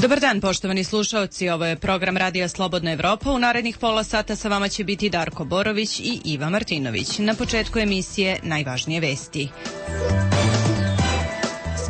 Dobar dan, poštovani slušaoci, ovo je program Radija Slobodna Evropa. U narednih pola sata sa vama će biti Darko Borović i Iva Martinović. Na početku emisije najvažnije vesti.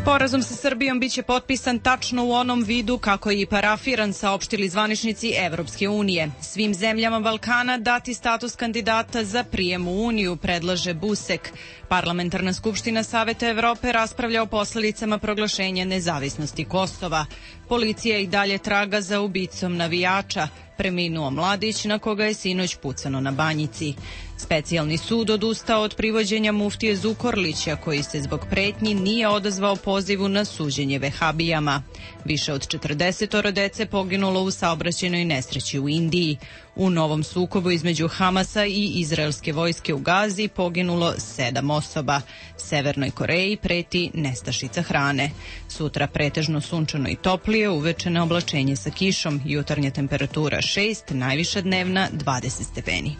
Sporazum sa Srbijom biće potpisan tačno u onom vidu kako je i parafiran, saopštili zvaničnici Evropske unije. Svim zemljama Balkana dati status kandidata za prijem u Uniju, predlaže Busek. Parlamentarna skupština Saveta Evrope raspravlja o posledicama proglašenja nezavisnosti Kosova. Policija i dalje traga za ubicom navijača. Preminuo mladić na koga je sinoć pucano na Banjici. Specijalni sud odustao od privođenja muftije Zukorlića, koji se zbog pretnji nije odazvao pozivu na suđenje vehabijama. Više od 40 dece poginulo u saobraćajnoj nesreći u Indiji. U novom sukobu između Hamasa i izraelske vojske u Gazi poginulo 7 osoba. Severnoj Koreji preti nestašica hrane. Sutra pretežno sunčano i toplije, uveče na oblačenje sa kišom, jutarnja temperatura 6, najviša dnevna 20 stepeni.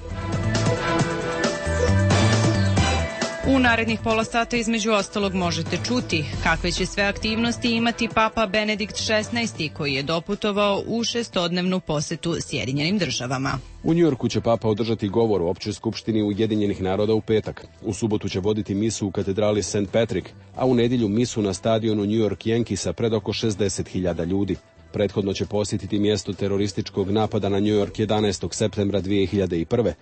U narednih pola sata između ostalog možete čuti kakve će sve aktivnosti imati Papa Benedikt XVI, koji je doputovao u 6-dnevnu posetu Sjedinjenim državama. U Njujorku će Papa održati govor u Općoj skupštini Ujedinjenih naroda u petak. U subotu će voditi misu u katedrali St. Patrick, a u nedjelju misu na stadionu New York Yankeesa pred oko 60.000 ljudi. Prethodno će posjetiti mjesto terorističkog napada na New York 11. septembra 2001.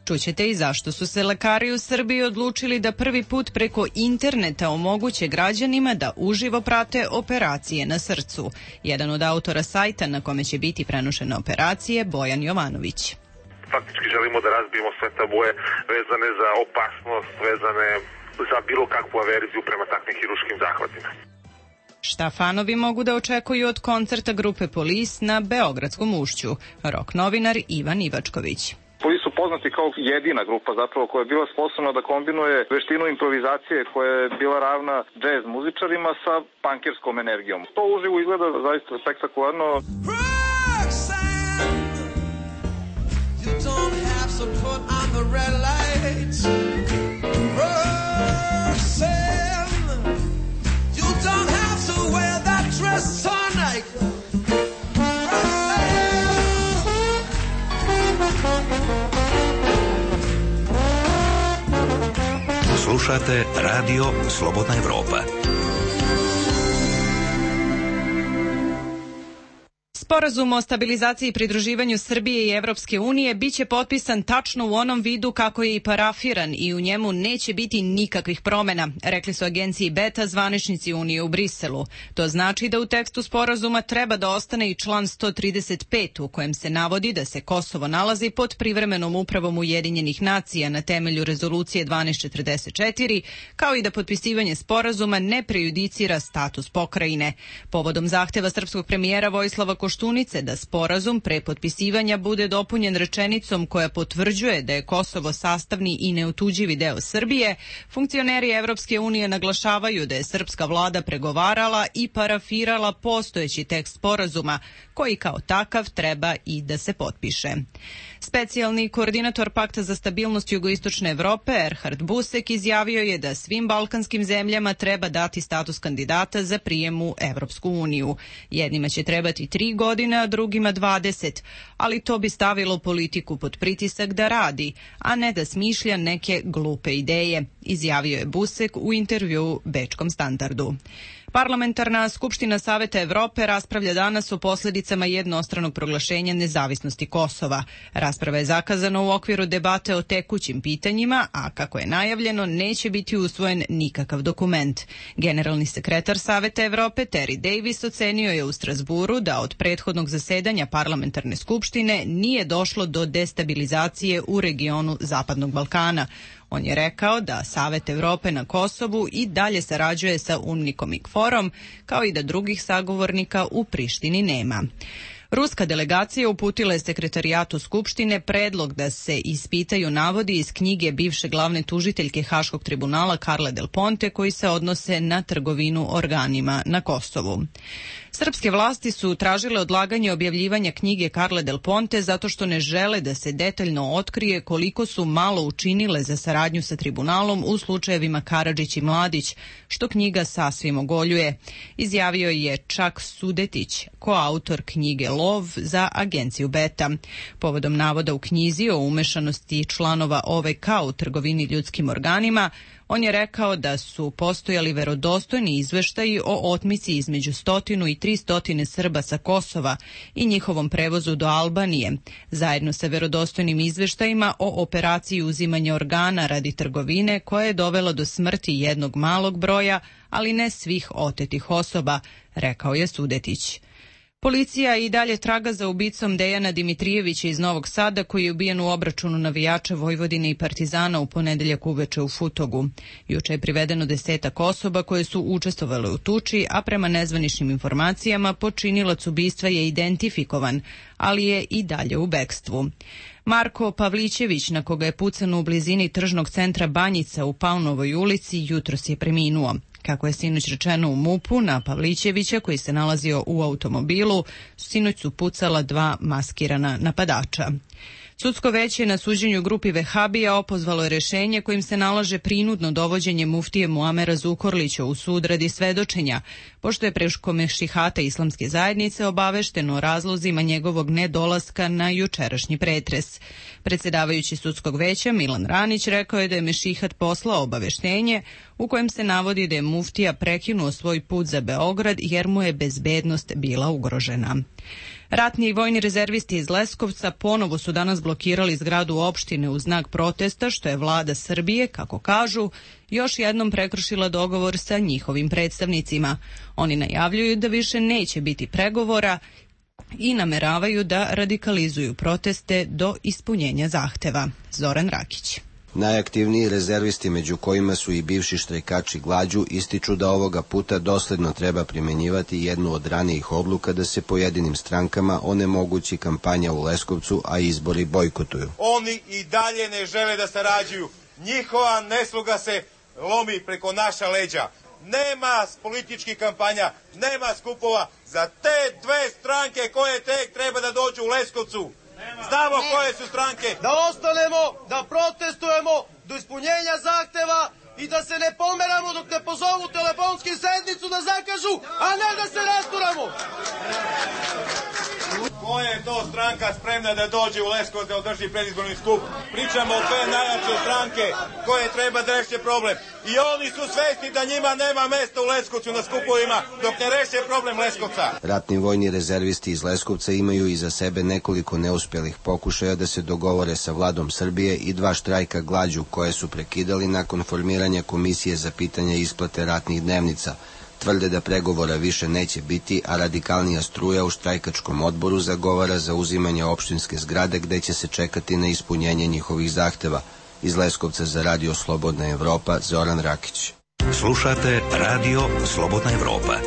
Čućete i zašto su se lekari u Srbiji odlučili da prvi put preko interneta omoguće građanima da uživo prate operacije na srcu. Jedan od autora sajta na kome će biti prenošene operacije, Bojan Jovanović. Faktički želimo da razbijemo sve tabue vezane za opasnost, vezane za bilo kakvu averziju prema takvim hiruškim zahvatima. Šta fanovi mogu da očekuju od koncerta grupe Police na Beogradskom ušću? Rock novinar Ivan Ivačković. Police su poznati kao jedina grupa zapravo koja je bila sposobna da kombinuje veštinu improvizacije koja je bila ravna džez muzičarima sa punkerskom energijom. To uživo izgleda zaista spektakularno. Slušate Radio Slobodna Evropa. Sporazum o stabilizaciji i pridruživanju Srbije i Evropske unije biće potpisan tačno u onom vidu kako je i parafiran i u njemu neće biti nikakvih promjena, rekli su agenciji Beta zvaničnici Unije u Briselu. To znači da u tekstu sporazuma treba da ostane i član 135 u kojem se navodi da se Kosovo nalazi pod privremenom upravom Ujedinjenih nacija na temelju rezolucije 1244, kao i da potpisivanje sporazuma ne prejudicira status pokrajine. Povodom zahteva srpskog premijera Vojislava Koštunice da sporazum pre potpisivanja bude dopunjen rečenicom koja potvrđuje da je Kosovo sastavni i neotuđivi deo Srbije, funkcioneri Evropske unije naglašavaju da je srpska vlada pregovarala i parafirala postojeći tekst sporazuma, koji kao takav treba i da se potpiše. Specijalni koordinator Pakta za stabilnost jugoistočne Evrope, Erhard Busek, izjavio je da svim balkanskim zemljama treba dati status kandidata za prijem u Evropsku uniju. Jednima će trebati 3 godine, a drugima 20, ali to bi stavilo politiku pod pritisak da radi, a ne da smišlja neke glupe ideje, izjavio je Busek u intervjuu Bečkom Standardu. Parlamentarna skupština Saveta Evrope raspravlja danas o posljedicama jednostranog proglašenja nezavisnosti Kosova. Rasprava je zakazana u okviru debate o tekućim pitanjima, a kako je najavljeno, neće biti usvojen nikakav dokument. Generalni sekretar Saveta Evrope Terry Davis ocenio je u Strasburu da od prethodnog zasedanja parlamentarne skupštine nije došlo do destabilizacije u regionu Zapadnog Balkana. On je rekao da Savet Evrope na Kosovu i dalje sarađuje sa UNMIK-om i KFOR-om, kao i da drugih sagovornika u Prištini nema. Ruska delegacija uputila je sekretarijatu Skupštine predlog da se ispitaju navodi iz knjige bivše glavne tužiteljke Haškog tribunala Carle Del Ponte koji se odnose na trgovinu organima na Kosovu. Srpske vlasti su tražile odlaganje objavljivanja knjige Carle Del Ponte zato što ne žele da se detaljno otkrije koliko su malo učinile za saradnju sa tribunalom u slučajevima Karadžić i Mladić, što knjiga sasvim ogoljuje, izjavio je Čak Sudetić, koautor knjige Lov za agenciju Beta. Povodom navoda u knjizi o umešanosti članova OVK u trgovini ljudskim organima, on je rekao da su postojali verodostojni izveštaji o otmici između 100 i 300 Srba sa Kosova i njihovom prevozu do Albanije, zajedno sa verodostojnim izveštajima o operaciji uzimanja organa radi trgovine koja je dovela do smrti jednog malog broja, ali ne svih otetih osoba, rekao je Sudetić. Policija i dalje traga za ubicom Dejana Dimitrijevića iz Novog Sada koji je ubijen u obračunu navijača Vojvodine i Partizana u ponedeljak uveče u Futogu. Juče je privedeno 10 osoba koje su učestvovale u tuči, a prema nezvaničnim informacijama počinilac ubistva je identifikovan, ali je i dalje u bekstvu. Marko Pavlićević, na koga je pucano u blizini tržnog centra Banjica u Paunovoj ulici, jutros je preminuo. Kako je sinoć rečeno u MUP-u, na Pavlićevića, koji se nalazio u automobilu, sinoć su pucala 2 maskirana napadača. Sudsko veće na suđenju grupi Vehabija opozvalo je rešenje kojim se nalaže prinudno dovođenje muftije Muamera Zukorlića u sud radi svedočenja, pošto je preko mešihata islamske zajednice obavešteno o razlozima njegovog nedolaska na jučerašnji pretres. Predsjedavajući sudskog veća Milan Ranić rekao je da je mešihat poslao obaveštenje u kojem se navodi da je muftija prekinuo svoj put za Beograd jer mu je bezbednost bila ugrožena. Ratni i vojni rezervisti iz Leskovca ponovo su danas blokirali zgradu opštine u znak protesta, što je vlada Srbije, kako kažu, još jednom prekršila dogovor sa njihovim predstavnicima. Oni najavljuju da više neće biti pregovora i nameravaju da radikalizuju proteste do ispunjenja zahteva. Zoran Rakić. Najaktivniji rezervisti, među kojima su i bivši štrajkači glađu, ističu da ovoga puta dosledno treba primjenjivati jednu od ranijih odluka da se pojedinim strankama onemogući kampanja u Leskovcu, a izbori bojkotuju. Oni i dalje ne žele da sarađuju. Njihova nesluga se lomi preko naša leđa. Nema političkih kampanja, nema skupova za te 2 stranke koje tek treba da dođu u Leskovcu. Znamo koje su stranke. Da ostanemo, da protestujemo do ispunjenja zahteva i da se ne pomeramo dok ne pozovu telefonsku sednicu da zakažu, a ne da se rasturamo. Koja je to stranka spremna da dođe u Leskovac da održi predizborni skup? Pričamo o 2 najjače stranke koje treba da reše problem. I oni su svesni da njima nema mesta u Leskovcu na skupovima dok ne reše problem Leskovca. Ratni vojni rezervisti iz Leskovca imaju iza sebe nekoliko neuspelih pokušaja da se dogovore sa vladom Srbije i 2 štrajka glađu koje su prekidali nakon formiranja komisije za pitanja isplate ratnih dnevnica. Tvrde da pregovora više neće biti, a radikalnija struja u štrajkačkom odboru zagovara za uzimanje opštinske zgrade gde će se čekati na ispunjenje njihovih zahteva. Iz Leskovca za Radio Slobodna Evropa, Zoran Rakić. Slušate Radio Slobodna Evropa.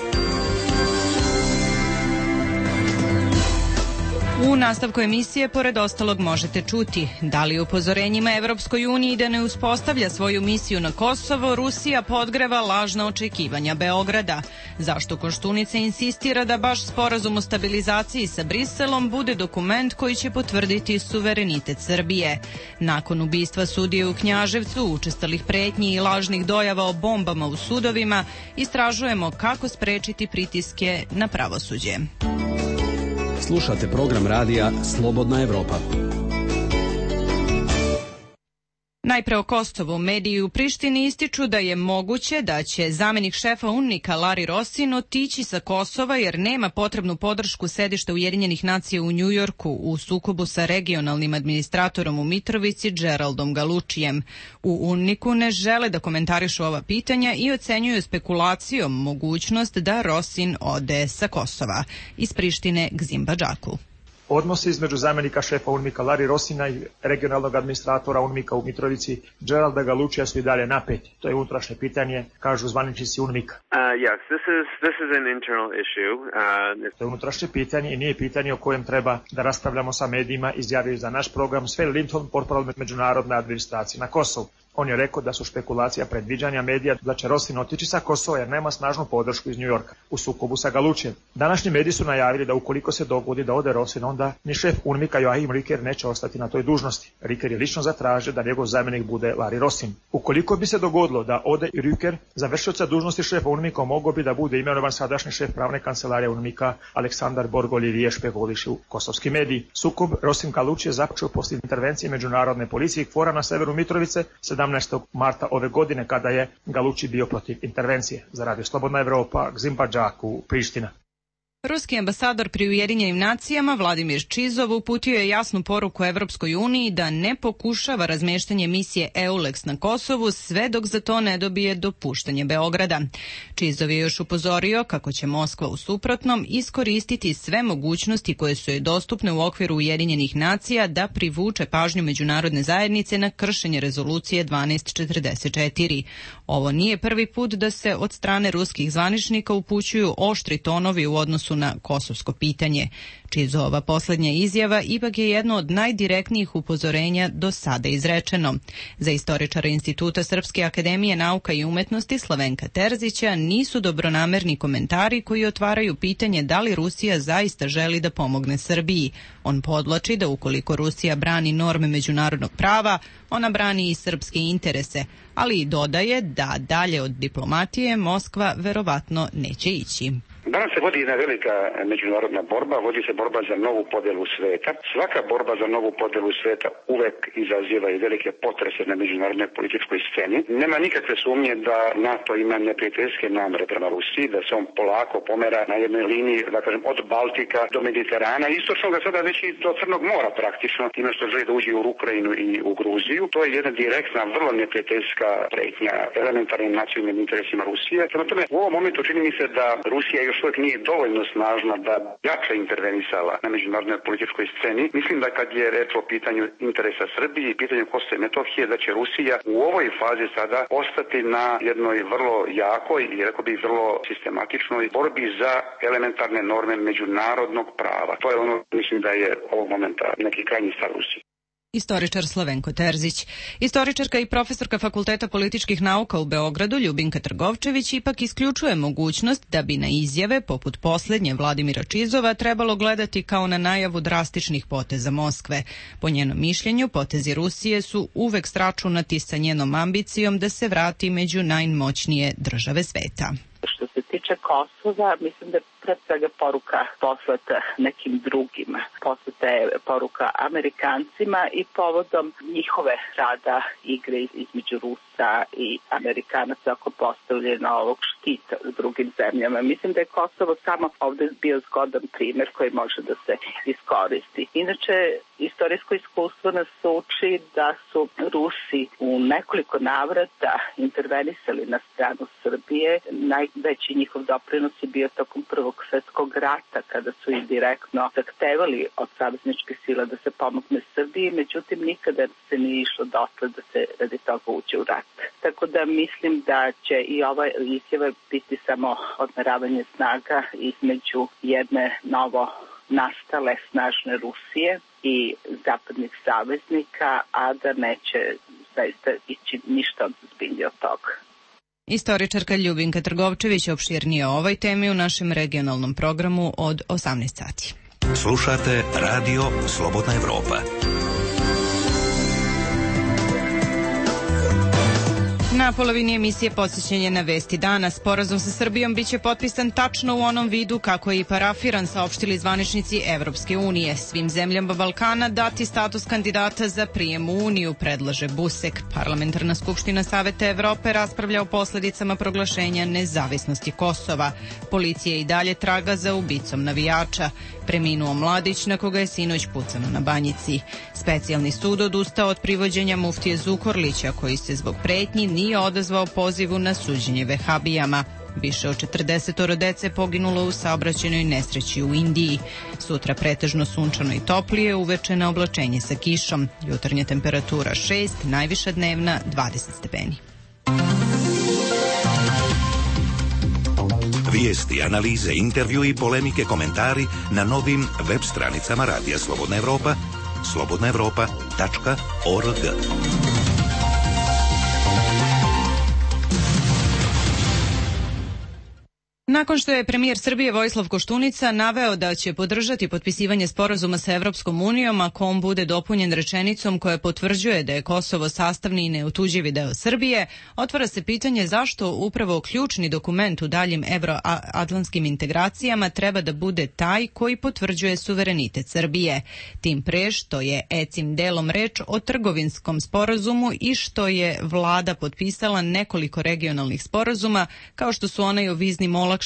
U nastavku emisije, pored ostalog, možete čuti da li upozorenjima Evropskoj uniji da ne uspostavlja svoju misiju na Kosovo, Rusija podgreva lažna očekivanja Beograda. Zašto Koštunica insistira da baš sporazum o stabilizaciji sa Briselom bude dokument koji će potvrditi suverenitet Srbije. Nakon ubistva sudije u Knjaževcu, učestalih pretnji i lažnih dojava o bombama u sudovima, istražujemo kako sprečiti pritiske na pravosuđe. Slušate program radija Slobodna Evropa. Najpre o Kosovu. Mediji u Prištini ističu da je moguće da će zamenik šefa UNMIK-a Lari Rosin otići sa Kosova jer nema potrebnu podršku sedišta Ujedinjenih nacija u Njujorku u sukobu sa regionalnim administratorom u Mitrovici Geraldom Galučijem. U UNMIK-u ne žele da komentarišu ova pitanja i ocenjuju spekulacijom mogućnost da Rosin ode sa Kosova. Iz Prištine Gzim Badžaku. Odnose između zamjenika šefa UNMIK-a Larry Rossina i regionalnog administratora UNMIK-a u Mitrovici Geralda Galučija su i dalje napeti. To je unutrašnje pitanje, kažu zvaničnici UNMIK-a. Yes, this is an internal issue. To je unutrašnje pitanje i nije pitanje o kojem treba da raspravljamo sa medijima, izjavio za naš program Sven Lindholm, portparol međunarodne administracije na Kosovu. On je rekao da su špekulacija predviđanja medija da će Rosin otići sa Kosova jer nema snažnu podršku iz Njujorka u sukobu sa Galučijem. Današnji mediji su najavili da ukoliko se dogodi da ode Rosin, onda ni šef UNMIK-a Joachim Ricker neće ostati na toj dužnosti. Ricker je lično zatražio da njegov zamjenik bude Larry Rosin. Ukoliko bi se dogodilo da ode i Ricker, za vršioca dužnosti šefa UNMIK-a mogao bi da bude imenovan sadašnji šef pravne kancelarije UNMIK-a Aleksandar Borgolivije, špekulišu kosovski mediji. Sukob Rosin-Galučije je započeo poslije intervencije međunarodne policije KFOR-a na severu Mitrovice 17. marta ove godine kada je Galuči bio protiv intervencije. Za Radio Slobodna Evropa, Gzim Badžaku, Priština. Ruski ambasador pri Ujedinjenim nacijama Vladimir Čizov uputio je jasnu poruku Evropskoj uniji da ne pokušava razmeštanje misije EULEX na Kosovu sve dok za to ne dobije dopuštanje Beograda. Čizov je još upozorio kako će Moskva u suprotnom iskoristiti sve mogućnosti koje su joj dostupne u okviru Ujedinjenih nacija da privuče pažnju međunarodne zajednice na kršenje rezolucije 1244. Ovo nije prvi put da se od strane ruskih zvaničnika upućuju oštri tonovi u odnosu na kosovsko pitanje. Čizova posljednja izjava ipak je jedno od najdirektnijih upozorenja do sada izrečeno. Za istoričara Instituta Srpske akademije nauka i umetnosti Slavenka Terzića nisu dobronamerni komentari koji otvaraju pitanje da li Rusija zaista želi da pomogne Srbiji. On podvlači da ukoliko Rusija brani norme međunarodnog prava, ona brani i srpske interese, ali i dodaje da dalje od diplomatije Moskva verovatno neće ići. Danas se vodi jedna velika međunarodna borba, vodi se borba za novu podjelu sveta. Svaka borba za novu podjelu sveta uvek izaziva i velike potrese na međunarodnoj političkoj sceni. Nema nikakve sumnje da NATO ima neprijateljske namere prema Rusiji, da se on polako pomera na jednoj liniji, da kažem, od Baltika do Mediterana, istočnog sada već i do Crnog mora praktično, time što želi da uđe u Ukrajinu i u Gruziju. To je jedna direktna, vrlo neprijateljska pretnja elementarnim nacionalnim interesima Rusije. Prema tome, u ovom momentu čini mi se da Rusija još uvijek nije dovoljno snažna da jače intervenisala na međunarodnoj političkoj sceni. Mislim da kad je reč o pitanju interesa Srbije i pitanju Kosova i Metohije, da će Rusija u ovoj fazi sada ostati na jednoj vrlo jakoj i rekao bih vrlo sistematičnoj borbi za elementarne norme međunarodnog prava. To je ono, mislim da je ovog momenta neki krajnji stav Rusije. Istoričar Slavenko Terzić. Istoričarka i profesorka Fakulteta političkih nauka u Beogradu Ljubinka Trgovčević ipak isključuje mogućnost da bi na izjave poput posljednje Vladimira Čizova trebalo gledati kao na najavu drastičnih poteza Moskve. Po njenom mišljenju, potezi Rusije su uvek sračunati sa njenom ambicijom da se vrati među najmoćnije države sveta. Što se tiče Kosova, mislim da je pre svega poruka poslata nekim drugima. Poslata je poruka Amerikancima i povodom njihove rada igre između Rusa i Amerikanaca oko postavljena ovog štita u drugim zemljama. Mislim da je Kosovo samo ovdje bio zgodan primjer koji može da se iskoristi. Inače, istorijsko iskustvo nas uči da su Rusi u nekoliko navrata intervenisali na stranu Srbije. Najveći njihov doprinos je bio tokom Prvog svjetskog rata, kada su i direktno zahtevali od savezničkih sila da se pomogne Srbiji, međutim nikada se nije išlo dotle da se radi toga uđe u rat. Tako da mislim da će i ova izjava biti samo odmeravanje snaga između jedne novo nastale snažne Rusije i zapadnih saveznika, a da neće zaista ići ništa ozbiljnije od toga. Istoričarka Ljubinka Trgovčević opširnije o ovoj temi u našem regionalnom programu od 18 sati. Slušate Radio Slobodna Evropa. Na polovini emisije podsjećanje na vesti dana. Sporazum sa Srbijom biće potpisan tačno u onom vidu kako je i parafiran, saopštili zvaničnici Evropske unije. Svim zemljama Balkana dati status kandidata za prijem u Uniju, predlaže Busek. Parlamentarna skupština Saveta Evrope raspravlja o posljedicama proglašenja nezavisnosti Kosova. Policija i dalje traga za ubicom navijača. Preminuo mladić na koga je sinoć pucano na Banjici. Specijalni sud odustao od privođenja muftije Zukorlića koji se zbog pretnji nije odazvao pozivu na suđenje vehabijama. Više od 40 dece poginulo u saobraćajnoj nesreći u Indiji. Sutra pretežno sunčano i toplije, uveče na oblačenje sa kišom. Jutarnja temperatura 6, najviša dnevna 20 stepeni. Vijesti, analize, intervju i polemike, komentari na novim web stranicama Radija Slobodna Evropa, slobodnaevropa.org. Nakon što je premijer Srbije Vojislav Koštunica naveo da će podržati potpisivanje sporazuma sa Evropskom unijom ako on bude dopunjen rečenicom koja potvrđuje da je Kosovo sastavni i neotuđivi deo Srbije, otvara se pitanje zašto upravo ključni dokument u daljim evroatlantskim integracijama treba da bude taj koji potvrđuje suverenitet Srbije. Tim pre što je ECIM delom reč o trgovinskom sporazumu i što je vlada potpisala nekoliko regionalnih sporazuma kao što su onaj o viznim olakšicama,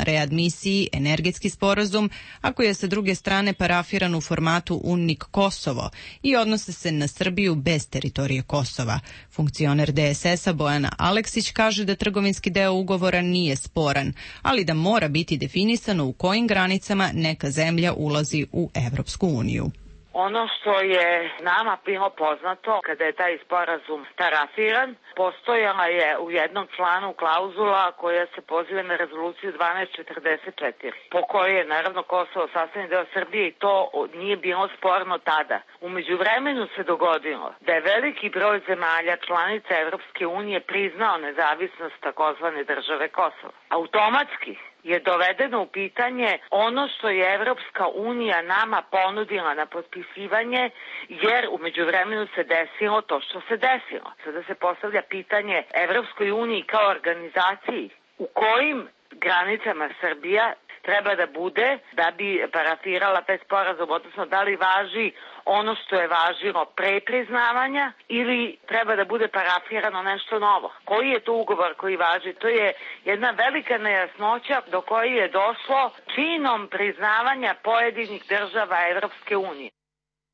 readmisiji, energetski sporazum, a koji je sa druge strane parafiran u formatu UNIC Kosovo i odnose se na Srbiju bez teritorije Kosova. Funkcioner DSS-a Bojana Aleksić kaže da trgovinski deo ugovora nije sporan, ali da mora biti definisano u kojim granicama neka zemlja ulazi u Evropsku uniju. Ono što je nama bilo poznato kada je taj sporazum parafiran, postojala je u jednom članu klauzula koja se poziva na rezoluciju 1244, po kojoj je naravno Kosovo sastavni deo Srbije i to nije bilo sporno tada. U međuvremenu se dogodilo da je veliki broj zemalja članica Evropske unije priznao nezavisnost takozvane države Kosovo. Automatski je dovedeno u pitanje ono što je Evropska unija nama ponudila na potpisivanje, jer u međuvremenu se desilo to što se desilo. Sada se postavlja pitanje Evropskoj uniji kao organizaciji u kojim granicama Srbija treba da bude da bi parafirala taj sporazum, odnosno da li važi ono što je važilo pre priznavanja ili treba da bude parafirano nešto novo. Koji je to ugovor koji važi? To je jedna velika nejasnoća do koje je došlo činom priznavanja pojedinih država Evropske unije.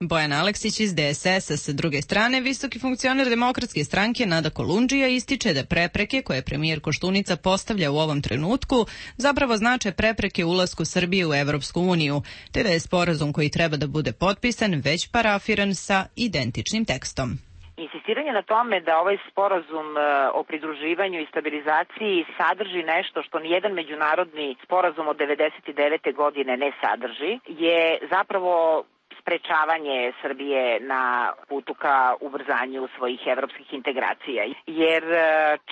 Bojan Aleksić iz DSS-a. Sa druge strane, visoki funkcioner Demokratske stranke Nada Kolundžija ističe da prepreke koje premijer Koštunica postavlja u ovom trenutku zapravo znače prepreke ulasku Srbije u Evropsku uniju, te da je sporazum koji treba da bude potpisan već parafiran sa identičnim tekstom. Insistiranje na tome da ovaj sporazum o pridruživanju i stabilizaciji sadrži nešto što nijedan međunarodni sporazum od 1999. godine ne sadrži je zapravo sprečavanje Srbije na putu ka ubrzanju svojih evropskih integracija. Jer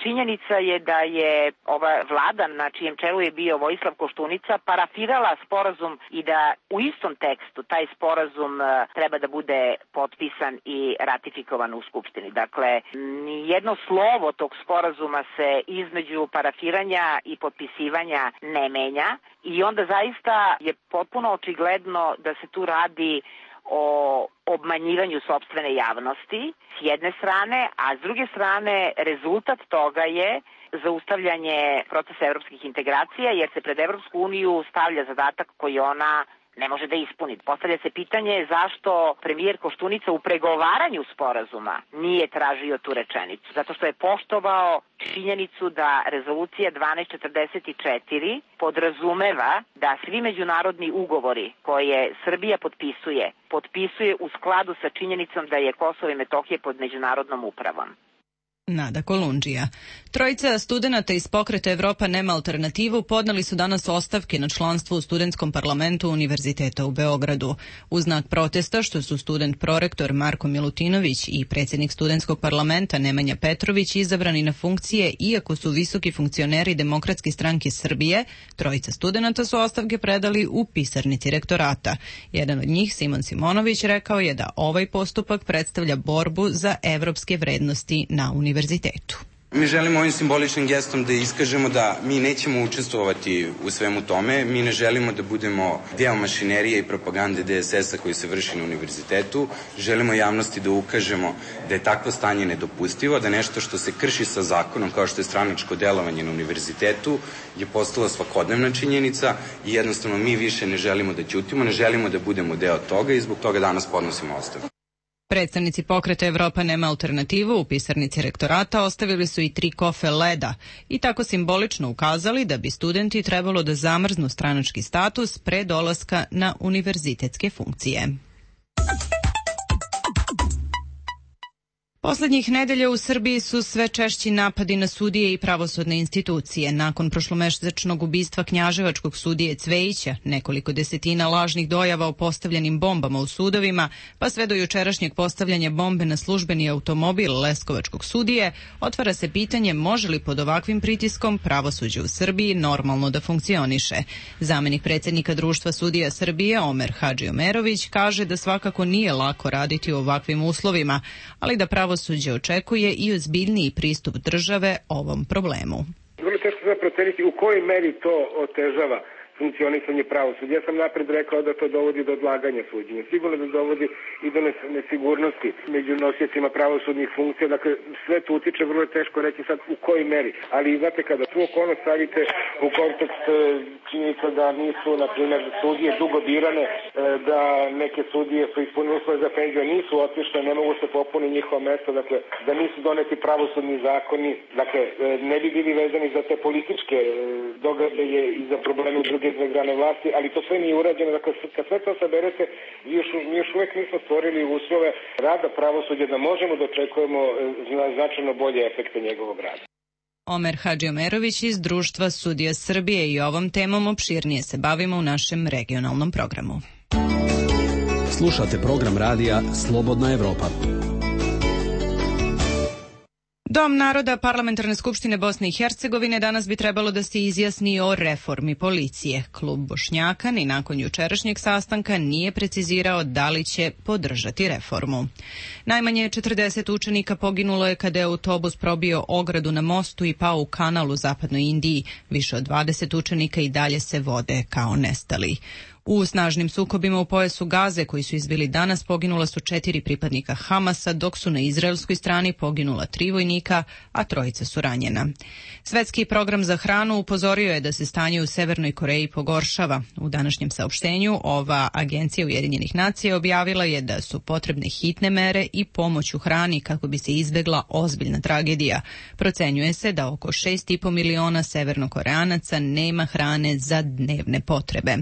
činjenica je da je ova vlada na čijem čelu je bio Vojislav Koštunica parafirala sporazum i da u istom tekstu taj sporazum treba da bude potpisan i ratifikovan u Skupštini. Dakle, nijedno slovo tog sporazuma se između parafiranja i potpisivanja ne menja i onda zaista je potpuno očigledno da se tu radi o obmanjivanju sopstvene javnosti s jedne strane, a s druge strane rezultat toga je zaustavljanje procesa evropskih integracija jer se pred Evropsku uniju stavlja zadatak koji ona ne može da ispuni. Postavlja se pitanje zašto premijer Koštunica u pregovaranju sporazuma nije tražio tu rečenicu. Zato što je poštovao činjenicu da rezolucija 1244 podrazumeva da svi međunarodni ugovori koje Srbija potpisuje u skladu sa činjenicom da je Kosovo i Metohija pod međunarodnom upravom. Nada Kolundžija. Trojica studenata iz pokreta Evropa nema alternativu podneli su danas ostavke na članstvo u studentskom parlamentu Univerziteta u Beogradu. U znak protesta što su student prorektor Marko Milutinović i predsjednik studentskog parlamenta Nemanja Petrović izabrani na funkcije iako su visoki funkcioneri Demokratske stranke Srbije, trojica studenata su ostavke predali u pisarnici rektorata. Jedan od njih, Simon Simonović, rekao je da ovaj postupak predstavlja borbu za evropske vrednosti na univerzitetu. Mi želimo ovim simboličnim gestom da iskažemo da mi nećemo učestvovati u svemu tome, mi ne želimo da budemo deo mašinerije i propagande DSS-a koji se vrši na univerzitetu, želimo javnosti da ukažemo da je takvo stanje nedopustivo, da nešto što se krši sa zakonom kao što je stranačko delovanje na univerzitetu je postala svakodnevna činjenica i jednostavno mi više ne želimo da ćutimo, ne želimo da budemo deo toga i zbog toga danas podnosimo ostavku. Predstavnici pokreta Evropa nema alternativu u pisarnici rektorata ostavili su i 3 kofe leda i tako simbolično ukazali da bi studenti trebalo da zamrznu stranački status pre dolaska na univerzitetske funkcije. Poslednjih nedelja u Srbiji su sve češći napadi na sudije i pravosudne institucije. Nakon prošlomesečnog ubistva knjaževačkog sudije Cvejića, nekoliko desetina lažnih dojava o postavljenim bombama u sudovima, pa sve do jučerašnjeg postavljanja bombe na službeni automobil leskovačkog sudije, otvara se pitanje može li pod ovakvim pritiskom pravosuđe u Srbiji normalno da funkcioniše. Zamenik predsjednika Društva sudija Srbije, Omer Hadžiomerović, kaže da svakako nije lako raditi u ovakvim uslovima, ali da pravosuđe očekuje i ozbiljniji pristup države ovom problemu. Vrlo teško se proceniti u kojoj meri to otežava funkcionisanje pravosuđa. Ja sam napred rekao da to dovodi do odlaganja suđenja. Sigurno da dovodi i do nesigurnosti među nosiocima pravosudnih funkcija. Dakle, sve to utiče, vrlo je teško reći sad u kojoj meri. Ali znate, kada tu okolnost stavite u kontekst činjenica da nisu, na primjer, sudije dugo birane, da neke sudije su ispunili uslove za penziju, nisu otišle, ne mogu se popuni njihova mesta, dakle, da nisu doneti pravosudni zakoni, dakle, ne bi bili vezani za te političke događaje i za probleme druge grane vlasti, ali to sve nije urađeno. Dakle, kad sve to saberete, mi još uvijek nismo stvorili uslove rada pravosuđa da možemo da očekujemo značajno bolje efekte njegovog rada. Omer Hadžiomerović iz Društva sudija Srbije i ovom temom opširnije se bavimo u našem regionalnom programu. Slušate program radija Slobodna Evropa. Dom naroda Parlamentarne skupštine Bosne i Hercegovine danas bi trebalo da se izjasni o reformi policije. Klub Bošnjaka ni nakon jučerašnjeg sastanka nije precizirao da li će podržati reformu. Najmanje 40 učenika poginulo je kada je autobus probio ogradu na mostu i pao u kanal u zapadnoj Indiji. Više od 20 učenika i dalje se vode kao nestali. U snažnim sukobima u pojasu Gaze koji su izbili danas poginula su 4 pripadnika Hamasa, dok su na izraelskoj strani poginula 3 vojnika, a 3 su ranjena. Svetski program za hranu upozorio je da se stanje u Severnoj Koreji pogoršava. U današnjem saopštenju ova agencija Ujedinjenih nacija objavila je da su potrebne hitne mere i pomoć u hrani kako bi se izbegla ozbiljna tragedija. Procenjuje se da oko 6,5 miliona severnokoreanaca nema hrane za dnevne potrebe.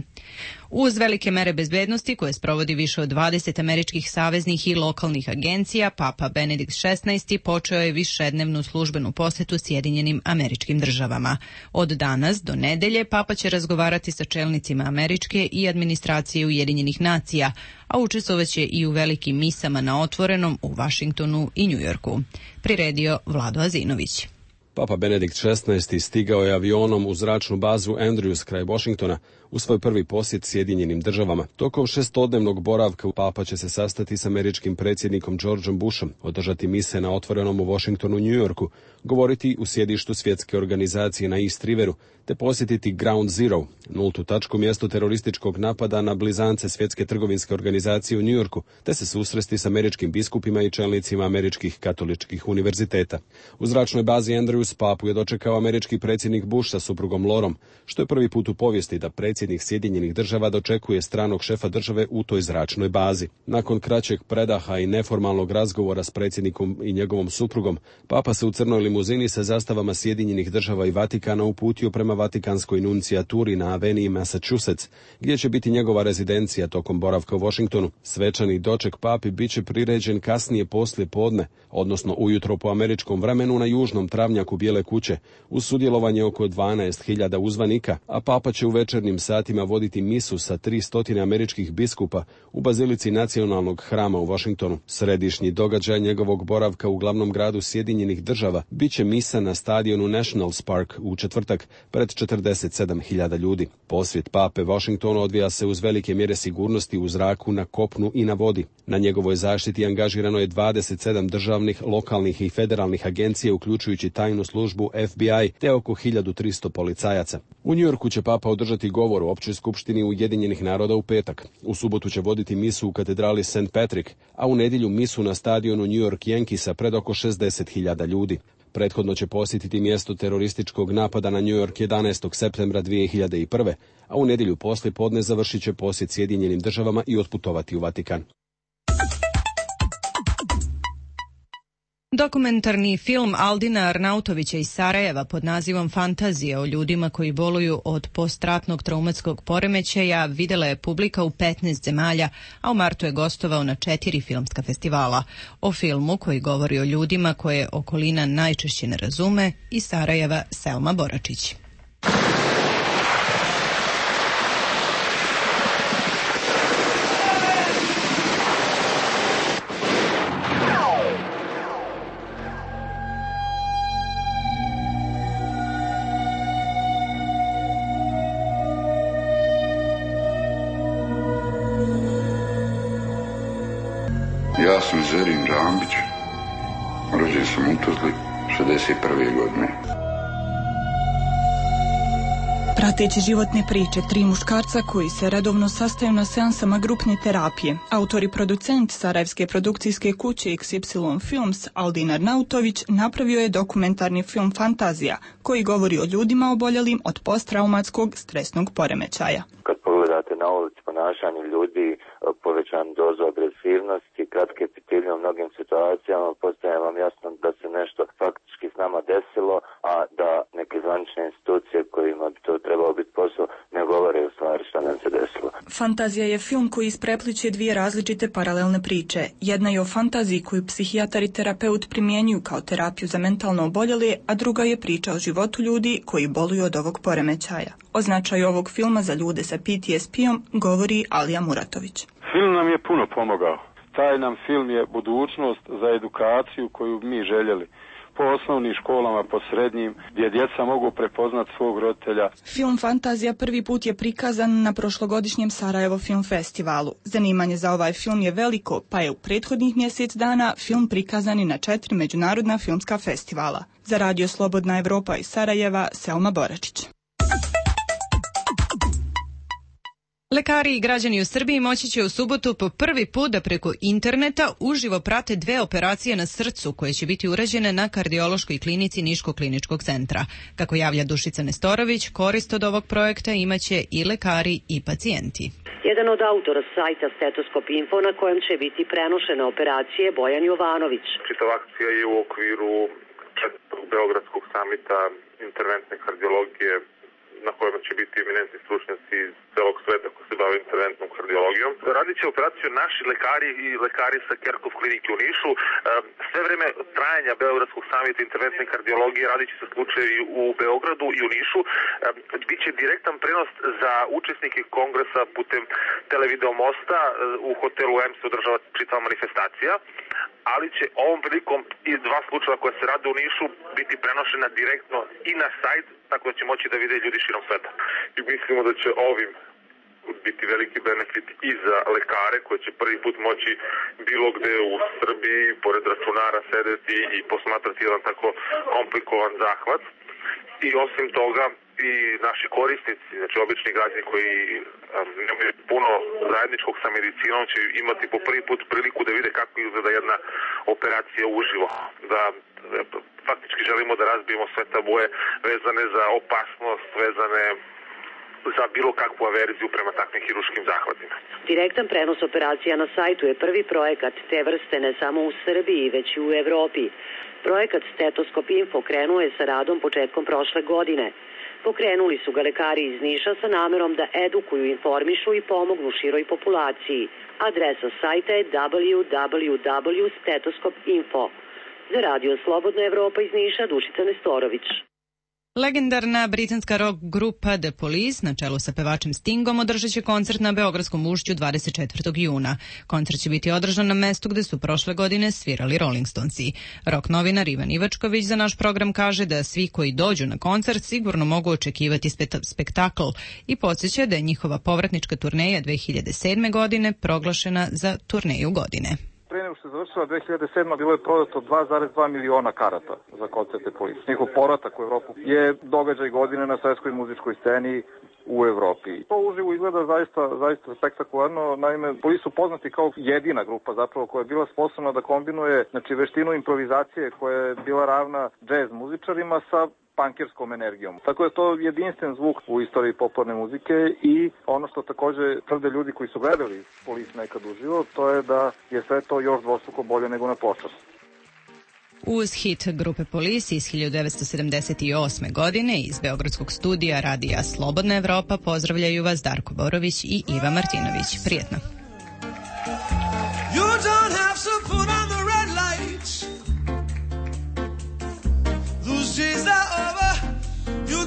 Uz velike mere bezbednosti koje sprovodi više od 20 američkih saveznih i lokalnih agencija, Papa Benedikt XVI počeo je višednevnu službenu posetu Sjedinjenim Američkim Državama. Od danas do nedelje Papa će razgovarati sa čelnicima američke i administracije Ujedinjenih nacija, a učestvovaće i u velikim misama na otvorenom u Vašingtonu i Njujorku. Priredio Vlado Azinović. Papa Benedikt XVI stigao je avionom u zračnu bazu Andrews kraj Washingtona u svoj prvi posjet Sjedinjenim Državama. Tokom 6-dnevnog boravka Papa će se sastati s američkim predsjednikom Georgeom Bushom, održati mise na otvorenom u Washingtonu i Njujorku, govoriti u sjedištu svjetske organizacije na East Riveru, te posjetiti Ground Zero, nultu tačku, mjesto terorističkog napada na blizance svjetske trgovinske organizacije u Njujorku, te se susresti s američkim biskupima i čelnicima američkih katoličkih univerziteta. U zračnoj bazi Andrews Papu je dočekao američki predsjednik Bush sa suprugom Lorom, što je prvi put u povijesti da predsjednik Sjedinjenih Država dočekuje stranog šefa države u toj zračnoj bazi. Nakon kraćeg predaha i neformalnog razgovora s predsjednikom i njegovom suprugom, Papa se u crnoj limuzini sa zastavama Sjedinjenih Država i Vatikana uputio prema Vatikanskoj nuncijaturi na aveniji Massachusetts, gdje će biti njegova rezidencija tokom boravka u Washingtonu. Svečani doček Papi biće priređen kasnije poslije podne, odnosno ujutro po američkom vremenu na južnom travnjaku Bijele kuće, uz sudjelovanje oko 12.000 uzvanika, a Papa će u večernjim satima voditi misu sa 300 američkih biskupa u bazilici Nacionalnog hrama u Washingtonu. Središnji događaj njegovog boravka u glavnom gradu Sjedinjenih Država biće misa na stadionu Nationals Park u četvrtak pred 47.000 ljudi. Posjet Pape Washingtonu odvija se uz velike mjere sigurnosti u zraku, na kopnu i na vodi. Na njegovoj zaštiti angažirano je 27 državnih, lokalnih i federalnih agencija, uključujući tajnu službu FBI, te oko 1300 policajaca. U Njujorku će Papa održati govor u Općoj skupštini Ujedinjenih naroda u petak. U subotu će voditi misu u katedrali St. Patrick, a u nedjelju misu na stadionu New York Yankeesa pred oko 60.000 ljudi. Prethodno će posjetiti mjesto terorističkog napada na New York 11. septembra 2001. a u nedjelju poslije podne završit će posjet Sjedinjenim Državama i otputovati u Vatikan. Dokumentarni film Aldina Arnautovića iz Sarajeva pod nazivom Fantazija o ljudima koji boluju od postratnog traumatskog poremećaja videla je publika u 15 zemalja, a u martu je gostovao na 4 filmska festivala. O filmu koji govori o ljudima koje okolina najčešće ne razume, iz Sarajeva Selma Boračić. Ja sam Zerin Rambić, rođen sam u Tuzli 61. godine. Prateći životne priče 3 muškarca koji se redovno sastaju na seansama grupne terapije, autor i producent sarajevske produkcijske kuće XY Films Aldin Arnautović napravio je dokumentarni film Fantazija, koji govori o ljudima oboljelim od posttraumatskog stresnog poremećaja. Kad pogledate na ulici ponašanje ljudi, povećan dozu agresivnosti, kratke pitilje u mnogim situacijama, postaje vam jasno da se nešto faktički s nama desilo, a da neke zvanične institucije kojima bi to trebalo biti posao ne govore u stvari šta nam se desilo. Fantazija je film koji isprepliče 2 različite paralelne priče. Jedna je o fantaziji koju psihijatar i terapeut primjenjuju kao terapiju za mentalno oboljele, a druga je priča o životu ljudi koji boluju od ovog poremećaja. O značaju ovog filma za ljude sa PTSP-om govori Alija Muratović. Film nam je puno pomogao. Taj nam film je budućnost za edukaciju koju mi željeli. Po osnovnim školama, po srednjim, gdje djeca mogu prepoznat svog roditelja. Film Fantazija prvi put je prikazan na prošlogodišnjem Sarajevo film festivalu. Zanimanje za ovaj film je veliko, pa je u prethodnih mjesec dana film prikazan i na 4 međunarodna filmska festivala. Za Radio Slobodna Evropa iz Sarajeva, Selma Boračić. Lekari i građani u Srbiji moći će u subotu po prvi put da preko interneta uživo prate 2 operacije na srcu koje će biti urađene na kardiološkoj klinici Niškog kliničkog centra. Kako javlja Dušica Nestorović, korist od ovog projekta imaće i lekari i pacijenti. Jedan od autora sajta Stetoskop Info na kojem će biti prenošene operacije Bojan Jovanović. Čitava akcija je u okviru 4. Beogradskog samita interventne kardiologije na kojima će biti eminentni stručnjaci iz celog sveta koji se bave interventnom kardiologijom. Radit će operaciju naši lekari i lekari sa Kerkov klinike u Nišu. Sve vreme trajanja Beogradskog samita interventne kardiologije radit će se slučajevi u Beogradu i u Nišu. Biće direktan prenos za učesnike kongresa putem televideo mosta. U hotelu M se održava čitava manifestacija, ali će ovom prilikom i 2 slučaja koja se rade u Nišu biti prenošena direktno i na sajt, tako da će moći da vide ljudi širom sveta. I mislimo da će ovim biti veliki benefit i za lekare koji će prvi put moći bilo gde u Srbiji, pored računara, sedeti i posmatrati jedan tako komplikovan zahvat. I osim toga i naši korisnici, znači obični građani koji nemaju puno zajedničkog sa medicinom, će imati po prvi put priliku da vide kako izgleda jedna operacija uživo. Da faktički želimo da razbijemo sve tabue vezane za opasnost, vezane za bilo kakvu averziju prema takvim hiruškim zahvatima. Direktan prenos operacija na sajtu je prvi projekat te vrste ne samo u Srbiji, već i u Evropi. Projekat Stetoskop Info krenuo je sa radom početkom prošle godine. Pokrenuli su ga lekari iz Niša sa namerom da edukuju, informišu i pomognu široj populaciji. Adresa sajta je www.stetoskop.info. Za Radio Slobodna Evropa iz Niša, Dušica Nestorović. Legendarna britanska rock grupa The Police, na čelu sa pevačem Stingom, održat će koncert na Beogradskom ušću 24. juna. Koncert će biti održan na mestu gde su prošle godine svirali Rolling Stonesi. Rock novinar Ivan Ivačković za naš program kaže da svi koji dođu na koncert sigurno mogu očekivati spektakl i podsjeća da je njihova povratnička turneja 2007. godine proglašena za turneju godine. Pre nego što se završila 2007. bilo je prodato 2,2 miliona karata za koncerte Police. Njihov povratak u Evropu je događaj godine na svetskoj muzičkoj sceni u Evropi. To uživo izgleda zaista spektakularno. Naime, Police su poznati kao jedina grupa zapravo koja je bila sposobna da kombinuje veštinu improvizacije koja je bila ravna džez muzičarima sa punkerskom energijom. Tako je to jedinstven zvuk u istoriji popularne muzike i ono što takođe tvrde ljudi koji su gledali Police nekad uživo, to je da je sve to još dvostruko bolje nego na počas. Uz hit grupe Police iz 1978. godine iz Beogradskog studija radija Slobodna Evropa pozdravljaju vas Darko Borović i Iva Martinović. Prijetno!